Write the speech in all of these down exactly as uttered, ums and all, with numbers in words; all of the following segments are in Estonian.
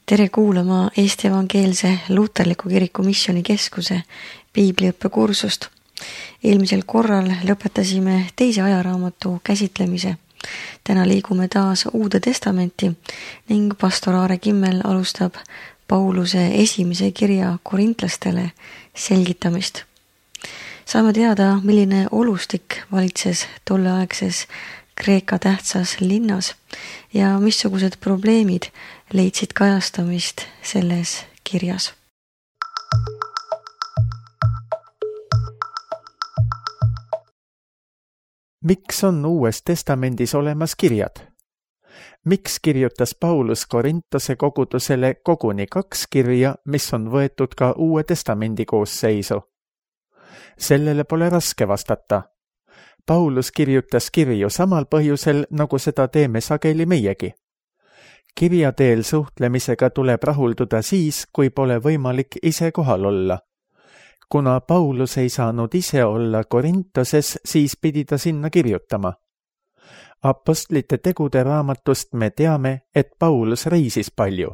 Tere kuulama Eesti Evangeelse Luterliku Kiriku Missioonikeskuse piibliõppekursust. Eelmisel korral lõpetasime teise ajaraamatu käsitlemise. Täna liigume taas Uude Testamenti ning pastor Aare Kimmel alustab Pauluse esimese kirja korintlastele selgitamist. Saame teada, milline olustik valitses tolleaegses Kreeka tähtsas linnas ja missugused probleemid leidsid kajastamist selles kirjas. Miks on Uues Testamendis olemas kirjad? Miks kirjutas Paulus Korintose kogudusele koguni kaks kirja, mis on võetud ka Uue Testamendi koosseisu? Sellele pole raske vastata. Paulus kirjutas kirju samal põhjusel, nagu seda teeme sageli meiegi. Kirja teel suhtlemisega tuleb rahulduda siis, kui pole võimalik ise kohal olla. Kuna Paulus ei saanud ise olla Korintoses, siis pidi ta sinna kirjutama. Apostlite tegude raamatust me teame, et Paulus reisis palju.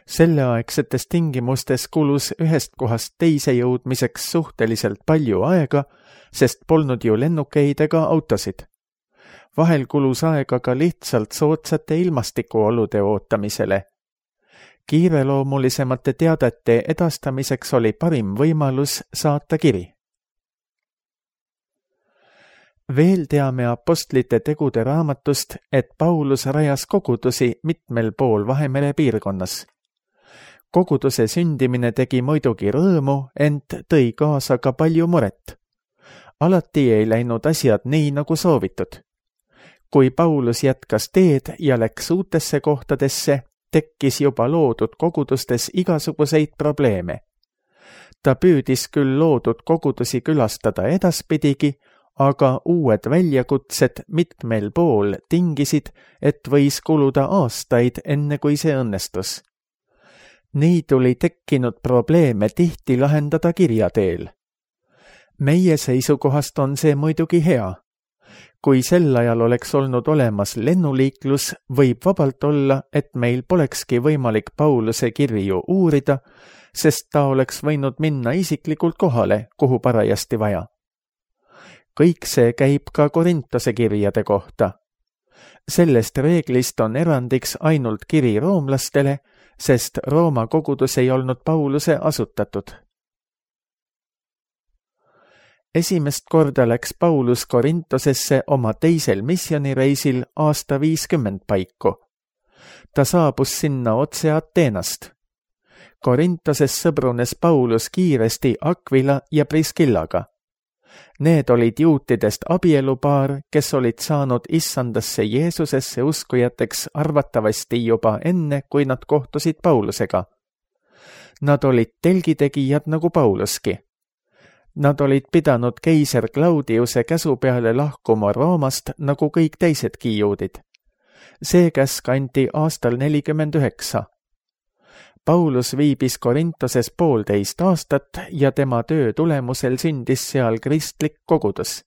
Selleaegsetes tingimustes kulus ühest kohast teise jõudmiseks suhteliselt palju aega, sest polnud ju lennukeid ega autosid. Vahel kulus aega ka lihtsalt soodsate ilmastikuolude ootamisele. Kiireloomulisemate teadete edastamiseks oli parim võimalus saata kiri. Veel teame apostlite tegude raamatust, et Paulus rajas kogudusi mitmel pool Vahemere piirkonnas. Koguduse sündimine tegi muidugi rõõmu, ent tõi kaasa ka palju muret. Alati ei läinud asjad nii, nagu soovitud. Kui Paulus jätkas teed ja läks uutesse kohtadesse, tekkis juba loodud kogudustes igasuguseid probleeme. Ta püüdis küll loodud kogudusi külastada edaspidigi, aga uued väljakutsed mitmel pool tingisid, et võis kuluda aastaid enne kui see õnnestus. Nii tuli tekkinud probleeme tihti lahendada kirja teel. Meie seisukohast on see muidugi hea. Kui sel ajal oleks olnud olemas lennuliiklus, võib vabalt olla, et meil polekski võimalik Pauluse kirju uurida, sest ta oleks võinud minna isiklikult kohale, kuhu parajasti vaja. Kõik see käib ka Korintose kirjade kohta. Sellest reeglist on erandiks ainult kiri roomlastele, sest Rooma kogudus ei olnud Pauluse asutatud. Esimest korda läks Paulus Korintosesse oma teisel missionireisil aasta viiskümmend paiku. Ta saabus sinna otse Ateenast. Korintoses sõbrunes Paulus kiiresti Aquila ja Priskillaga. Need olid juutidest abielupaar, kes olid saanud issandasse Jeesusesse uskujateks arvatavasti juba enne, kui nad kohtusid Paulusega. Nad olid telgitegijad nagu Pauluski. Nad olid pidanud keiser Claudiuse käsu peale lahkuma Roomast nagu kõik teisedki juudid. See käsk anti aastal nelikümmend üheksa. Paulus viibis Korintoses poolteist aastat ja tema töö tulemusel sündis seal kristlik kogudus.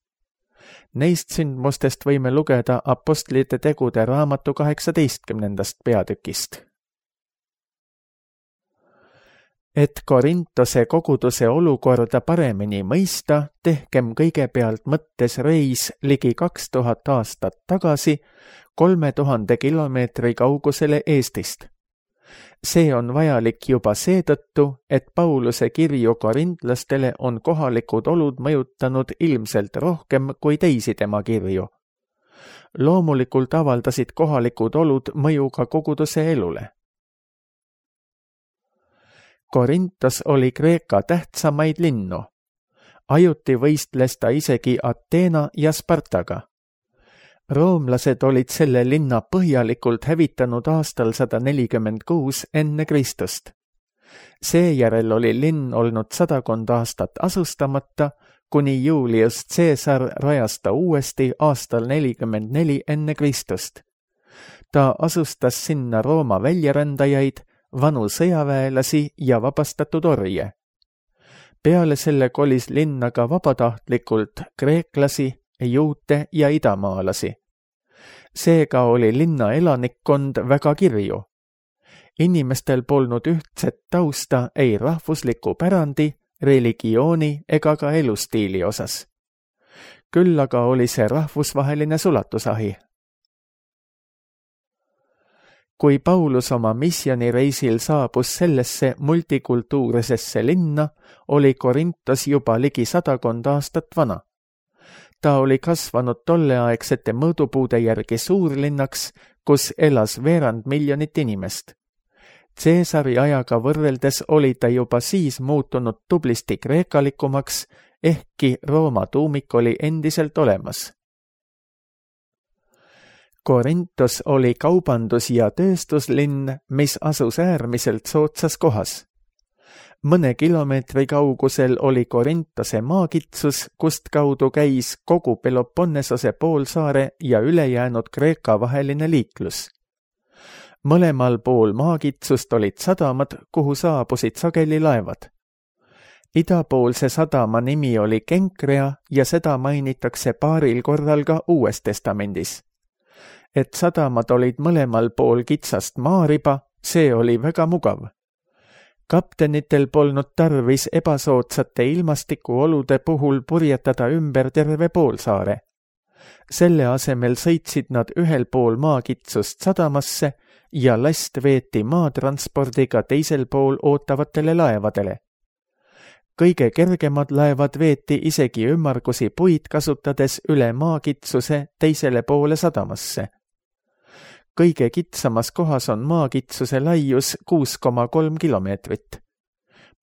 Neist sündmustest võime lugeda apostlite tegude raamatu kaheksateistkümnendast peatükist. Et Korintose koguduse olukorda paremini mõista, tehkem kõigepealt mõttes reis ligi kaks tuhat aastat tagasi kolme tuhande kilomeetri kaugusele Eestist. See on vajalik juba seetõttu, et Pauluse kirju korintlastele on kohalikud olud mõjutanud ilmselt rohkem kui teisi tema kirju. Loomulikult avaldasid kohalikud olud mõju ka koguduse elule. Korintos oli Kreeka tähtsamaid linnu. Ajuti võistles ta isegi Ateena ja Spartaga. Roomlased olid selle linna põhjalikult hävitanud aastal sada nelikümmend kuus enne Kristust. Seejärel oli linn olnud sadakond aastat asustamata, kuni Julius Caesar rajas ta uuesti aastal nelikümmend neli enne Kristust. Ta asustas sinna Rooma väljarändajaid, vanu sõjaväelasi ja vabastatud orje. Peale selle kolis linna ka vabatahtlikult kreeklasi, juute ja idamaalasi. Seega oli linna elanikkond väga kirju. Inimestel polnud ühtset tausta ei rahvusliku pärandi, religiooni ega ka elustiili osas. Küll aga oli see rahvusvaheline sulatusahi. Kui Paulus oma misjonireisil saabus sellesse multikultuurisesse linna, oli Korintos juba ligi sadakond aastat vana. Ta oli kasvanud tolleaegsete mõõdupuude järgi suurlinnaks, kus elas veerand miljonit inimest. Caesari ajaga võrreldes oli ta juba siis muutunud tublisti kreekalikumaks, ehkki Rooma tuumik oli endiselt olemas. Korintos oli kaubandus- ja tööstuslinn, mis asus äärmiselt soodsas kohas. Mõne kilomeetri kaugusel oli Korintose maakitsus, kust kaudu käis kogu Peloponnesose poolsaare ja ülejäänud Kreeka vaheline liiklus. Mõlemal pool maakitsust olid sadamad, kuhu saabusid sageli laevad. Idapoolse sadama nimi oli Kenkrea ja seda mainitakse paaril korral ka Uues Testamendis. Et sadamad olid mõlemal pool kitsast maariba, see oli väga mugav. Kaptenitel polnud tarvis ebasoodsate ilmastikuolude puhul purjetada ümber terve poolsaare. Selle asemel sõitsid nad ühel pool maakitsust sadamasse ja last veeti maatranspordiga teisel pool ootavatele laevadele. Kõige kergemad laevad veeti isegi ümmargusi puid kasutades üle maakitsuse teisele poole sadamasse. Kõige kitsamas kohas on maakitsuse laius kuus koma kolm kilomeetrit.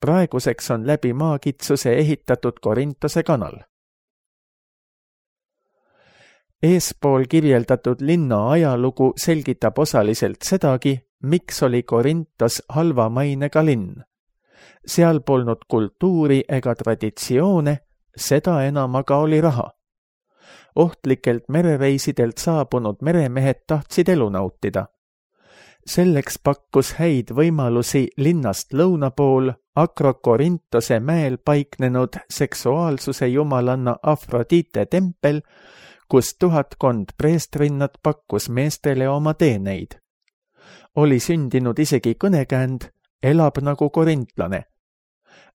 Praeguseks on läbi maakitsuse ehitatud Korintose kanal. Eespool kirjeldatud linna ajalugu selgitab osaliselt sedagi, miks oli Korintos halva mainega linn. Seal polnud kultuuri ega traditsioone, seda enam aga oli raha. Ohtlikelt merereisidelt saabunud meremehed tahtsid elu nautida. Selleks pakkus häid võimalusi linnast lõuna pool Akrokorintose mäel paiknenud seksuaalsuse jumalanna Afrodite tempel, kus tuhatkond preestrinnat pakkus meestele oma teeneid. Oli sündinud isegi kõnekäänd, elab nagu korintlane.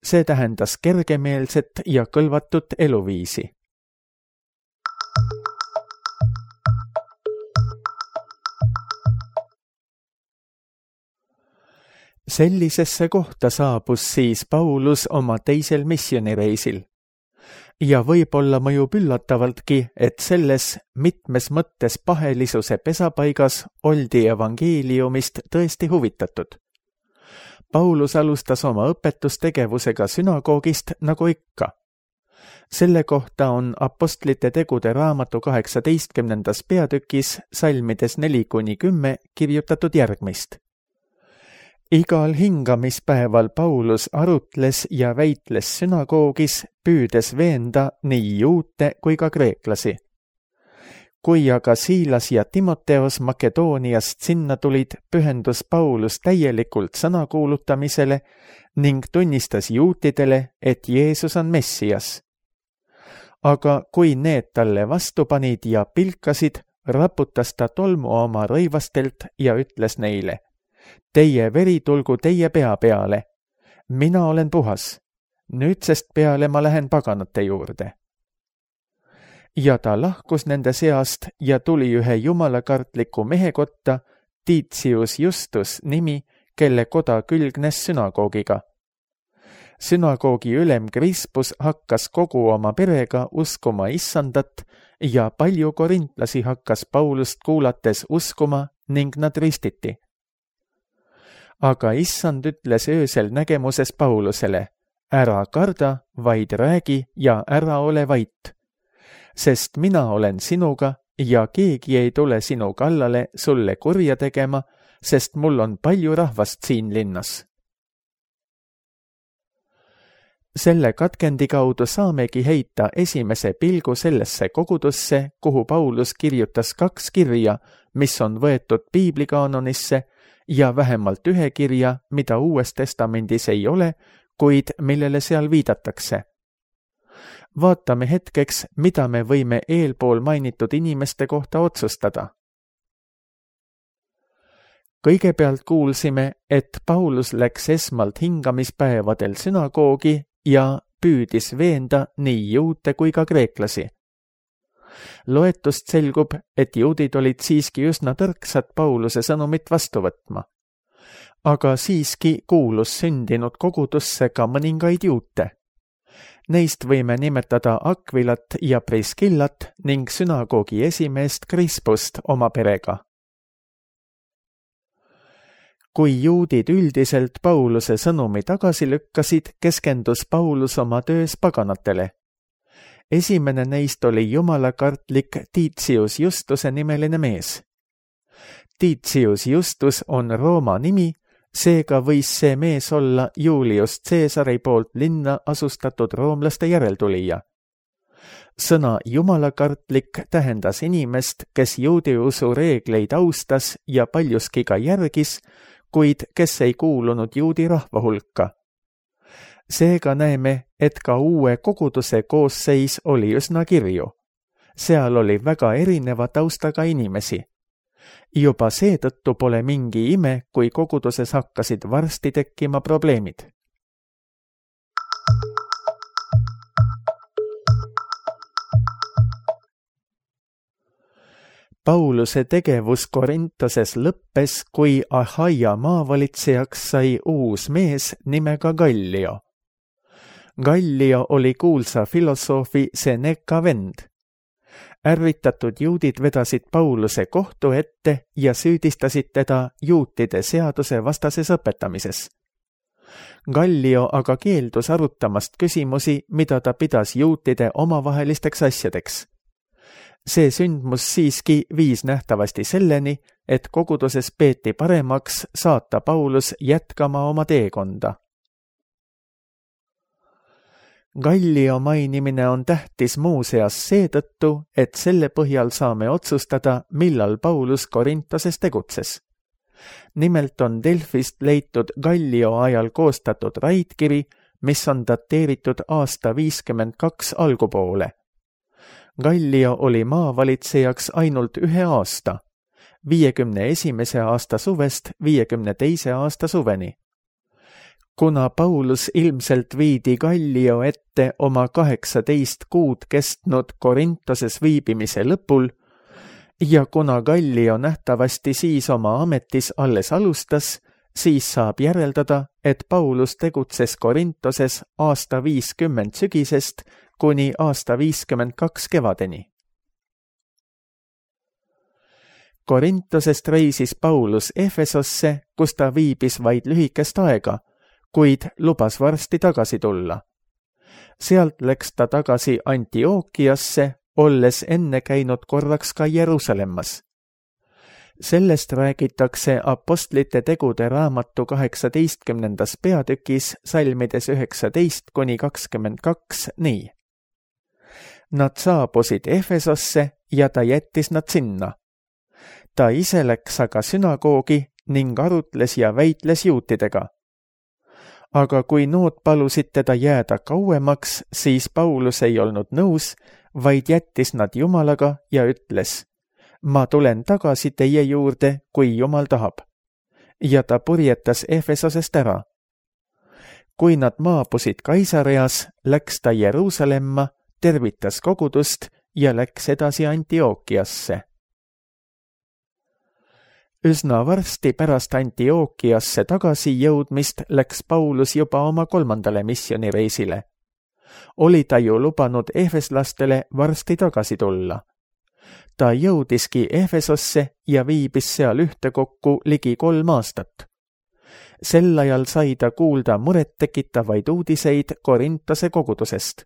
See tähendas kergemeelset ja kõlvatut eluviisi. Sellisesse kohta saabus siis Paulus oma teisel missionireisil. Ja võib-olla mõjub üllatavaltki, et selles mitmes mõttes pahelisuse pesapaigas oldi evangeeliumist tõesti huvitatud. Paulus alustas oma õpetustegevusega sünagoogist nagu ikka. Selle kohta on Apostlite tegude raamatu kaheksateistkümnendas peatükis salmides neli kuni kümme kirjutatud järgmist. Igal hingamispäeval Paulus arutles ja väitles sünagoogis, püüdes veenda nii juute kui ka kreeklasi. Kui aga Siilas ja Timoteos Makedooniast sinna tulid, pühendus Paulus täielikult sõna kuulutamisele ning tunnistas juutidele, et Jeesus on Messias. Aga kui need talle vastu panid ja pilkasid, raputas ta tolmu oma rõivastelt ja ütles neile: Teie veri tulgu teie pea peale. Mina olen puhas. Nüüdsest peale ma lähen paganate juurde. Ja ta lahkus nende seast ja tuli ühe jumalakartliku mehe kotta, Titius Justus nimi, kelle koda külgnes sünagoogiga. Sünagoogi ülem Krispus hakkas kogu oma perega uskuma issandat ja palju korintlasi hakkas Paulust kuulates uskuma ning nad ristiti. Aga issand ütles öösel nägemuses Paulusele: ära karda, vaid räägi ja ära ole vait. Sest mina olen sinuga ja keegi ei tule sinu kallale sulle kurja tegema, sest mul on palju rahvast siin linnas. Selle katkendi kaudu saamegi heita esimese pilgu sellesse kogudusse, kuhu Paulus kirjutas kaks kirja, mis on võetud piiblikaanonisse, ja vähemalt ühe kirja, mida Uues Testamendis ei ole, kuid millele seal viidatakse. Vaatame hetkeks, mida me võime eelpool mainitud inimeste kohta otsustada. kõigepealt kuulsime, et Paulus läks esmalt hingamispäevadel sünagoogi ja püüdis veenda nii juute kui ka kreeklasi. Loetust selgub, et juudid olid siiski üsna tõrksad Pauluse sõnumit vastu võtma. Aga siiski kuulus sündinud kogudusse ka mõningaid juute. Neist võime nimetada Akvilat ja Priskillat ning sünagoogi esimeest Krispust oma perega. Kui juudid üldiselt Pauluse sõnumi tagasi lükkasid, keskendus Paulus oma töös paganatele. Esimene neist oli jumalakartlik Titius Justuse nimeline mees. Titius Justus on Rooma nimi, seega võis see mees olla Julius Caesari poolt linna asustatud roomlaste järeltulija. Sõna jumalakartlik tähendas inimest, kes juudi usu reegleid austas ja paljuski ka järgis, kuid kes ei kuulunud juudi rahva hulka. Seega näeme, et ka uue koguduse koosseis oli üsna kirju. Seal oli väga erineva taustaga inimesi. Juba seetõttu pole mingi ime, kui koguduses hakkasid varsti tekkima probleemid. Pauluse tegevus Korintoses lõppes, kui Ahaia maavalitsejaks sai uus mees nimega Gallio. Gallio oli kuulsa filosoofi Seneca vend. Ärritatud juudid vedasid Pauluse kohtu ette ja süüdistasid teda juutide seaduse vastases õpetamises. Gallio aga keeldus arutamast küsimusi, mida ta pidas juutide omavahelisteks asjadeks. See sündmus siiski viis nähtavasti selleni, et koguduses peeti paremaks saata Paulus jätkama oma teekonda. Gallio mainimine on tähtis muuseas seetõttu, et selle põhjal saame otsustada, millal Paulus Korintoses tegutses. Nimelt on Delfist leitud Gallio ajal koostatud raidkiri, mis on dateeritud aasta viiskümmend kaks algupoole. Gallio oli maavalitsejaks ainult ühe aasta, viiekümne esimese aasta suvest viiekümne teise aasta suveni. Kuna Paulus ilmselt viidi Gallio ette oma kaheksateist kuud kestnud Korintoses viibimise lõpul ja kuna Gallio nähtavasti siis oma ametis alles alustas, siis saab järeldada, et Paulus tegutses Korintoses aasta viiskümmend sügisest kuni aasta viiskümmend kaks kevadeni. Korintosest reisis Paulus Efesosse, kus ta viibis vaid lühikest aega, kuid lubas varsti tagasi tulla. Sealt läks ta tagasi Antiookiasse, olles enne käinud korraks ka Jeruusalemmas. Sellest räägitakse Apostlite tegude raamatu kaheksateistkümnendas peatükis salmides üheksateist kuni kakskümmend kaks nii. Nad saabusid Efesosse ja ta jättis nad sinna. Ta ise läks aga sünagoogi ning arutles ja väitles juutidega. Aga kui nood palusid teda jääda kauemaks, siis Paulus ei olnud nõus, vaid jättis nad Jumalaga ja ütles: ma tulen tagasi teie juurde, kui Jumal tahab. Ja ta purjetas Efesosest ära. Kui nad maabusid Kaisareas, läks ta Jeruusalemma, tervitas kogudust ja läks edasi Antiookiasse. Üsna varsti pärast Antiookiasse tagasi jõudmist läks Paulus juba oma kolmandale missioonireisile. Oli ta ju lubanud efeslastele varsti tagasi tulla. Ta jõudiski Efesosse ja viibis seal ühtekokku ligi kolm aastat. Sel ajal sai ta kuulda murettekitavaid uudiseid Korintose kogudusest.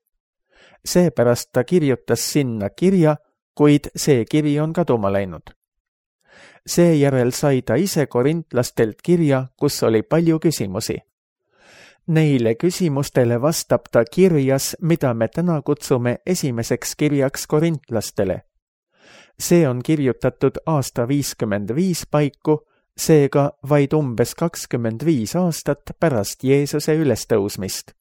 Seepärast ta kirjutas sinna kirja, kuid see kiri on kaduma läinud. Seejärel sai ta ise korintlastelt kirja, kus oli palju küsimusi. Neile küsimustele vastab ta kirjas, mida me täna kutsume esimeseks kirjaks korintlastele. See on kirjutatud aasta viiskümmend viis paiku, seega vaid umbes kakskümmend viis aastat pärast Jeesuse ülestõusmist.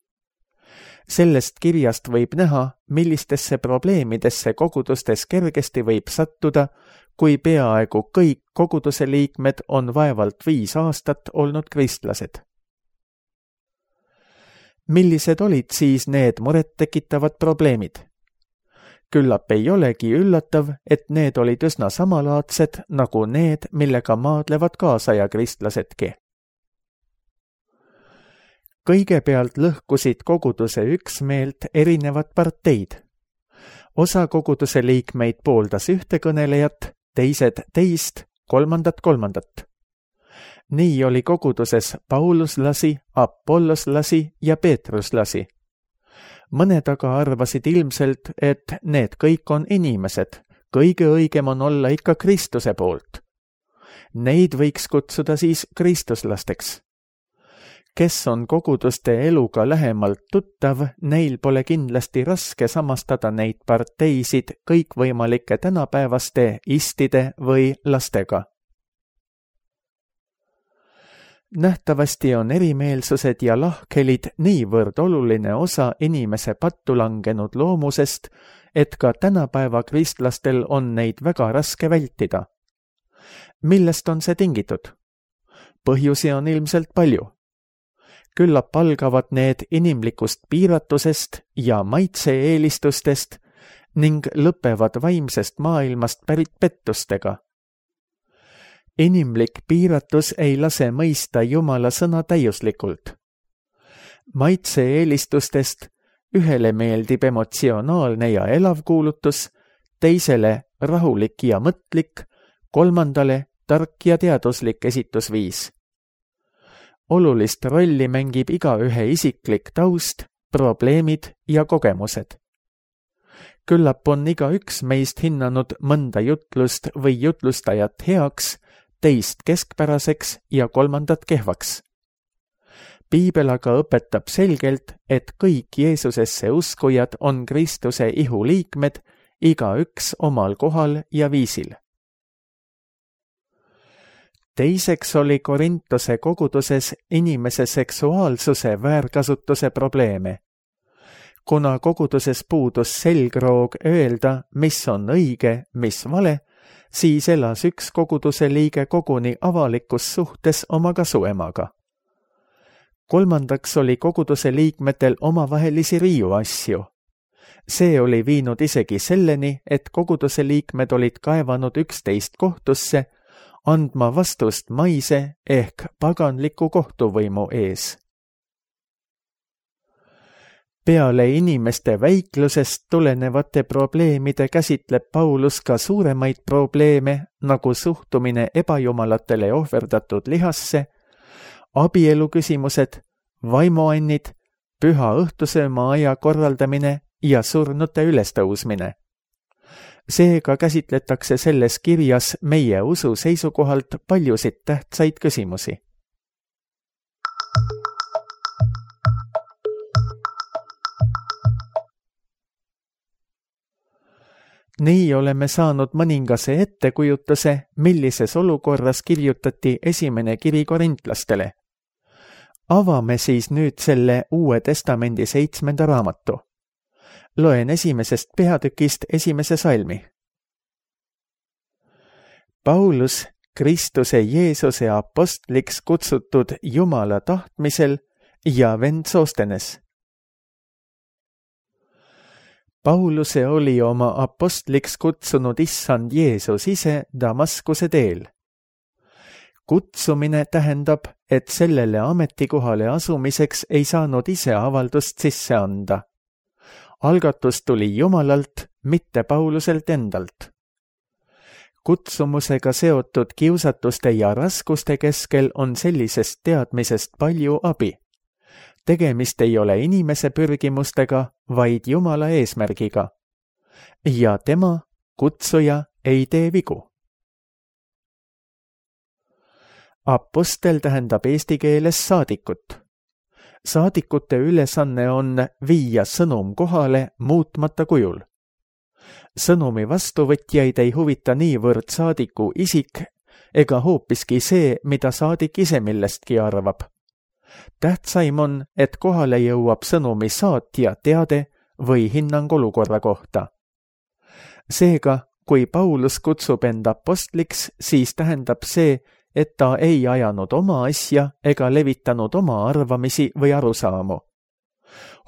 Sellest kirjast võib näha, millistesse probleemidesse kogudustes kergesti võib sattuda, kui peaaegu kõik koguduse liikmed on vaevalt viis aastat olnud kristlased. Millised olid siis need murettekitavad probleemid? Küllap ei olegi üllatav, et need olid üsna samalaadsed nagu need, millega maadlevad kaasaja kristlasedki. Kõigepealt lõhkusid koguduse üksmeelt erinevad parteid. Osa koguduse liikmeid pooldas ühte kõnelejat, teised teist, kolmandat kolmandat. Nii oli koguduses pauluslasi, apolloslasi ja peetruslasi. Mõned aga arvasid ilmselt, et need kõik on inimesed, kõige õigem on olla ikka Kristuse poolt. Neid võiks kutsuda siis kristuslasteks. Kes on koguduste eluga lähemalt tuttav, neil pole kindlasti raske samastada neid parteisid kõikvõimalike tänapäevaste istide või lastega. Nähtavasti on erimeelsused ja lahkhelid niivõrd oluline osa inimese pattu langenud loomusest, et ka tänapäeva kristlastel on neid väga raske vältida. Millest on see tingitud? Põhjusi on ilmselt palju. Küllap algavad need inimlikust piiratusest ja maitse-eelistustest ning lõpevad vaimsest maailmast pärit pettustega. Inimlik piiratus ei lase mõista Jumala sõna täiuslikult. Maitse-eelistustest ühele meeldib emotsionaalne ja elav kuulutus, teisele rahulik ja mõtlik, kolmandale tark ja teaduslik esitusviis. Olulist rolli mängib igaühe isiklik taust, probleemid ja kogemused. Küllap on igaüks meist hinnanud mõnda jutlust või jutlustajat heaks, teist keskpäraseks ja kolmandat kehvaks. Piibel aga õpetab selgelt, et kõik Jeesusesse uskujad on Kristuse ihu liikmed, igaüks omal kohal ja viisil. Teiseks oli Korintuse koguduses inimese seksuaalsuse väärkasutuse probleeme. Kuna koguduses puudus selgroog öelda, mis on õige, mis vale, siis elas üks koguduse liige koguni avalikus suhtes oma kasuemaga. Kolmandaks oli koguduse liikmetel omavahelisi riiuasju. See oli viinud isegi selleni, et koguduse liikmed olid kaevanud üksteist kohtusse, andma vastust maise ehk paganliku kohtuvõimu ees. Peale inimeste väiklusest tulenevate probleemide käsitleb Paulus ka suuremaid probleeme, nagu suhtumine ebajumalatele ohverdatud lihasse, abielu küsimused, vaimuannid, püha õhtusööma aja korraldamine ja surnute ülestõusmine. Seega käsitletakse selles kirjas meie usu seisukohalt paljusid tähtsaid küsimusi. Nii oleme saanud mõningase ettekujutuse, millises olukorras kirjutati esimene kiri korintlastele. Avame siis nüüd selle Uue Testamendi seitsmenda raamatu. Loen esimesest peatükist esimese salmi. Paulus, Kristuse Jeesuse apostliks kutsutud Jumala tahtmisel ja vend Soostenes. Pauluse oli oma apostliks kutsunud issand Jeesus ise Damaskuse teel. Kutsumine tähendab, et sellele ametikohale asumiseks ei saanud ise avaldust sisse anda. Algatus tuli Jumalalt, mitte Pauluselt endalt. Kutsumusega seotud kiusatuste ja raskuste keskel on sellisest teadmisest palju abi. Tegemist ei ole inimese pürgimustega, vaid Jumala eesmärgiga. Ja tema, kutsuja, ei tee vigu. Apostel tähendab eesti keeles saadikut. Saadikute ülesanne on viia sõnum kohale muutmata kujul. Sõnumi vastuvõtjaid ei huvita niivõrd saadiku isik ega hoopiski see, mida saadik ise millestki arvab. Tähtsaim on, et kohale jõuab sõnumi saatja teade või hinnang olukorra kohta. Seega, kui Paulus kutsub end apostliks, siis tähendab see, et ta ei ajanud oma asja ega levitanud oma arvamisi või arusaamu.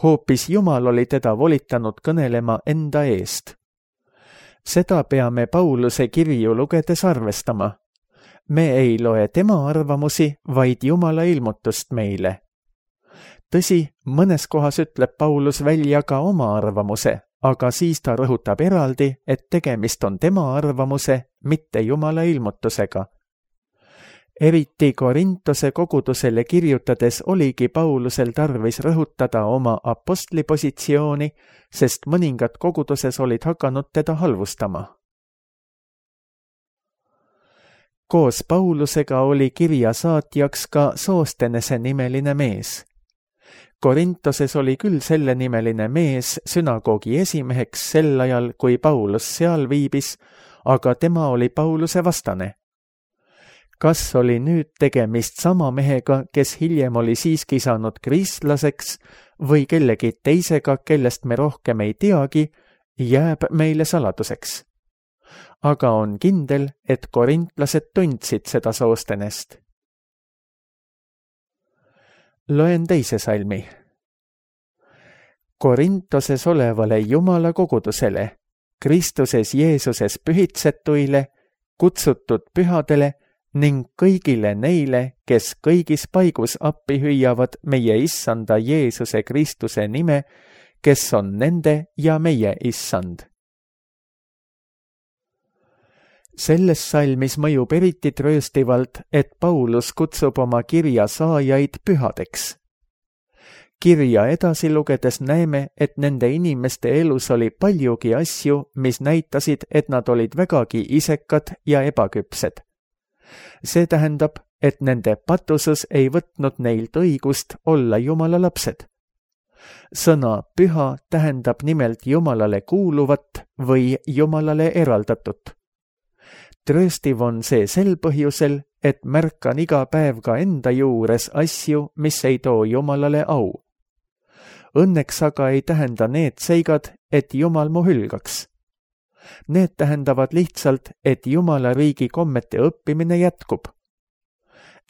Hoopis Jumal oli teda volitanud kõnelema enda eest. Seda peame Pauluse kirju lugedes arvestama. Me ei loe tema arvamusi, vaid Jumala ilmutust meile. Tõsi, mõnes kohas ütleb Paulus välja ka oma arvamuse, aga siis ta rõhutab eraldi, et tegemist on tema arvamuse, mitte Jumala ilmutusega. Eriti Korintose kogudusele kirjutades oligi Paulusel tarvis rõhutada oma apostlipositsiooni, sest mõningad koguduses olid hakanud teda halvustama. Koos Paulusega oli kirja saatjaks ka Soostenese nimeline mees. Korintoses oli küll selle nimeline mees sünagoogi esimeheks sel ajal, kui Paulus seal viibis, aga tema oli Pauluse vastane. Kas oli nüüd tegemist sama mehega, kes hiljem oli siiski saanud kristlaseks, või kellegi teisega, kellest me rohkem ei teagi, jääb meile saladuseks. Aga on kindel, et korintlased tundsid seda Soostenest. Loen teise salmi. Korintoses olevale Jumala kogudusele, Kristuses Jeesuses pühitsetuile, kutsutud pühadele ning kõigile neile, kes kõigis paigus appi hüüavad meie issanda Jeesuse Kristuse nime, kes on nende ja meie issand. Selles salmis mõjub eriti trööstivalt, et Paulus kutsub oma kirja saajaid pühadeks. Kirja edasi lugedes näeme, et nende inimeste elus oli paljugi asju, mis näitasid, et nad olid vägagi isekad ja ebaküpsed. See tähendab, et nende patusus ei võtnud neilt õigust olla Jumala lapsed. Sõna püha tähendab nimelt Jumalale kuuluvat või Jumalale eraldatut. Trööstiv on see sel põhjusel, et märkan iga päev ka enda juures asju, mis ei too Jumalale au. Õnneks aga ei tähenda need seigad, et Jumal mu hülgaks. Need tähendavad lihtsalt, et Jumala riigi kommete õppimine jätkub.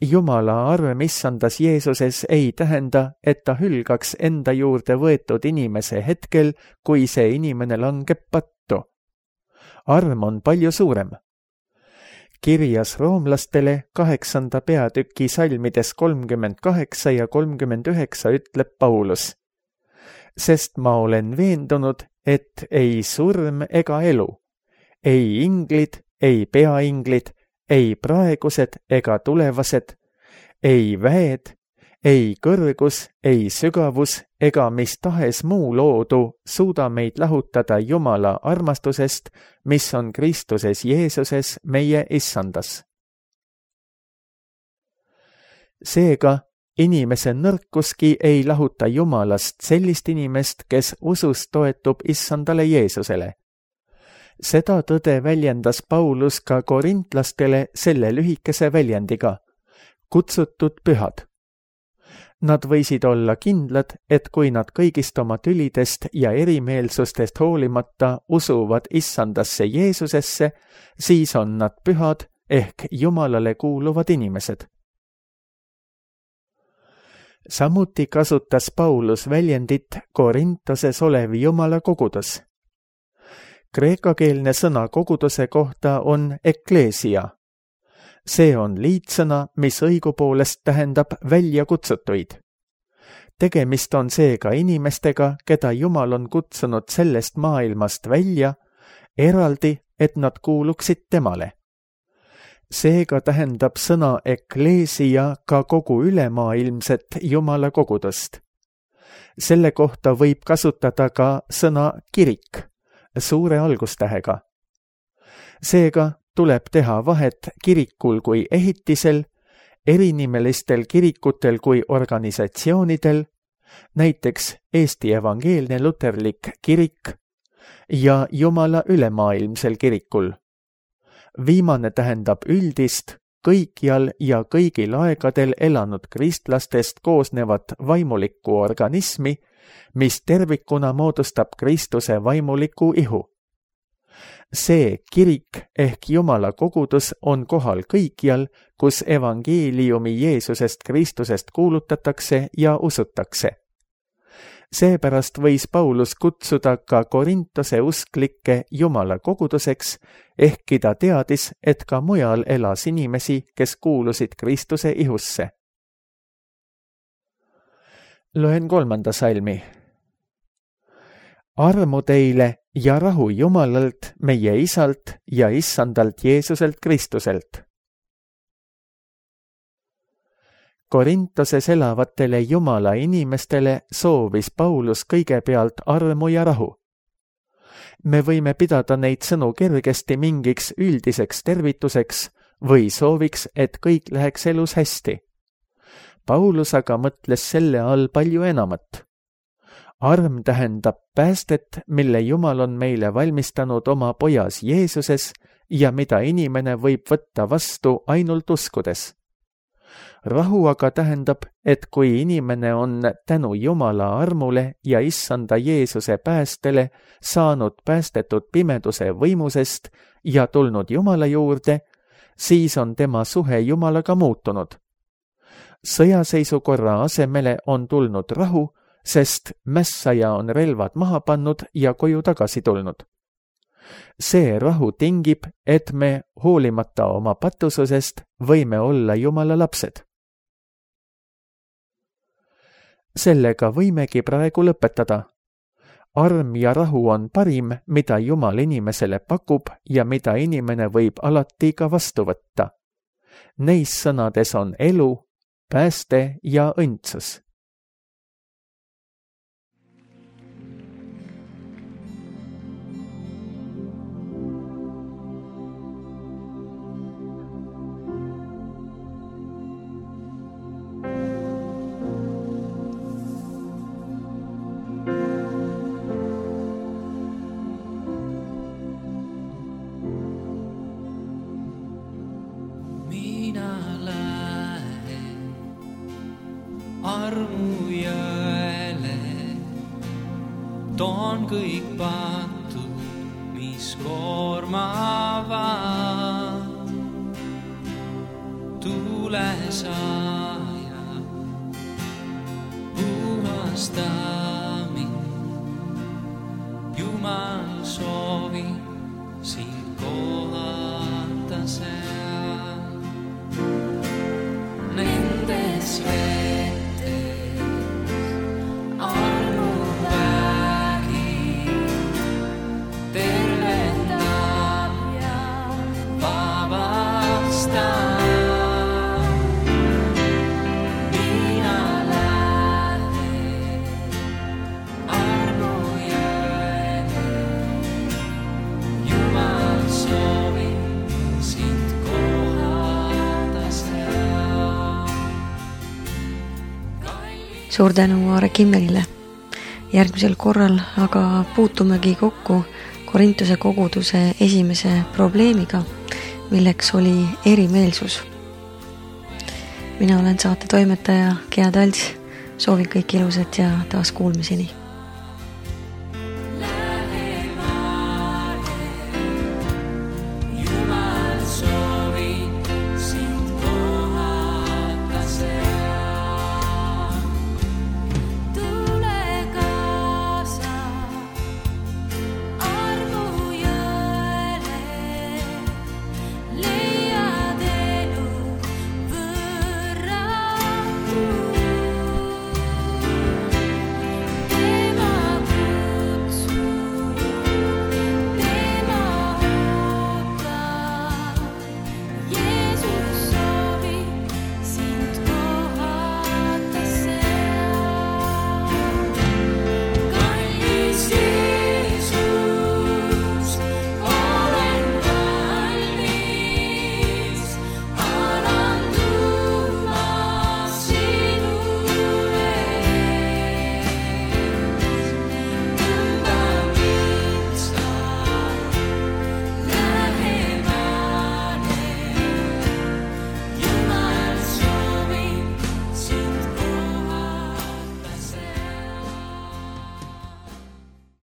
Jumala arm issandas Jeesuses ei tähenda, et ta hülgaks enda juurde võetud inimese hetkel, kui see inimene langeb pattu. Arm on palju suurem. Kirjas roomlastele kaheksanda peatüki salmides kolmkümmend kaheksa ja kolmkümmend üheksa ütleb Paulus: sest ma olen veendunud, et ei surm ega elu, ei inglid, ei peainglid, ei praegused ega tulevased, ei väed, ei kõrgus, ei sügavus ega mis tahes muu loodu suuda meid lahutada Jumala armastusest, mis on Kristuses Jeesuses meie issandas. Seega, inimese nõrkuski ei lahuta Jumalast sellist inimest, kes usus toetub issandale Jeesusele. Seda tõde väljendas Paulus ka korintlastele selle lühikese väljendiga: kutsutud pühad. Nad võisid olla kindlad, et kui nad kõigist oma tülidest ja erimeelsustest hoolimata usuvad issandasse Jeesusesse, siis on nad pühad ehk Jumalale kuuluvad inimesed. Samuti kasutas Paulus väljendit Korintoses olev Jumala kogudus. Kreekakeelne sõna koguduse kohta on ekkleesia. See on liitsõna, mis õigupoolest tähendab väljakutsutuid. Tegemist on seega inimestega, keda Jumal on kutsunud sellest maailmast välja, eraldi, et nad kuuluksid temale. Seega tähendab sõna ekkleesia ka kogu ülemaailmset Jumala kogudust. Selle kohta võib kasutada ka sõna kirik, suure algustähega. Seega tuleb teha vahet kirikul kui ehitisel, erinimelistel kirikutel kui organisatsioonidel, näiteks Eesti Evangeelne Luterlik Kirik, ja Jumala ülemaailmsel kirikul. Viimane tähendab üldist, kõikjal ja kõigil aegadel elanud kristlastest koosnevat vaimulikku organismi, mis tervikuna moodustab Kristuse vaimuliku ihu. see kirik ehk Jumala kogudus on kohal kõikjal, kus evangeeliumi Jeesusest Kristusest kuulutatakse ja usutakse. Seepärast võis Paulus kutsuda ka Korintose usklikke Jumala koguduseks, ehkki ta teadis, et ka mujal elas inimesi, kes kuulusid Kristuse ihusse. Loen kolmanda salmi. Armu teile ja rahu Jumalalt, meie Isalt ja Issandalt Jeesuselt Kristuselt. Korintoses elavatele Jumala inimestele soovis Paulus kõigepealt armu ja rahu. Me võime pidada neid sõnu kergesti mingiks üldiseks tervituseks või sooviks, et kõik läheks elus hästi. Paulus aga mõtles selle all palju enamat. Arm tähendab päästet, mille Jumal on meile valmistanud oma pojas Jeesuses ja mida inimene võib võtta vastu ainult uskudes. Rahu aga tähendab, et kui inimene on tänu Jumala armule ja Issanda Jeesuse päästele saanud päästetud pimeduse võimusest ja tulnud Jumala juurde, siis on tema suhe Jumalaga muutunud. Sõjaseisukorra asemele on tulnud rahu, sest mässaja on relvad maha pannud ja koju tagasi tulnud. See rahu tingib, et me hoolimata oma patususest võime olla Jumala lapsed. Sellega võimegi praegu lõpetada. Arm ja rahu on parim, mida Jumal inimesele pakub ja mida inimene võib alati ka vastu võtta. Neis sõnades on elu, pääste ja õndsus. Armu jõele toon kõik patud, mis koormavad. Tule saaja, puhasta mind. Jumal soovi sind kohata seal. Nendes vetes armu vägi tervendab ja vabastab. Mina lähen armu jõele, Jumal soovib sind kohata seal. Suur tänu Aare Kimmelile. Järgmisel korral aga puutumegi kokku Korintuse koguduse esimese probleemiga, milleks oli erimeelsus. Mina olen saate toimetaja Gea Talts, soovin kõik ilusat ja taas kuulmiseni.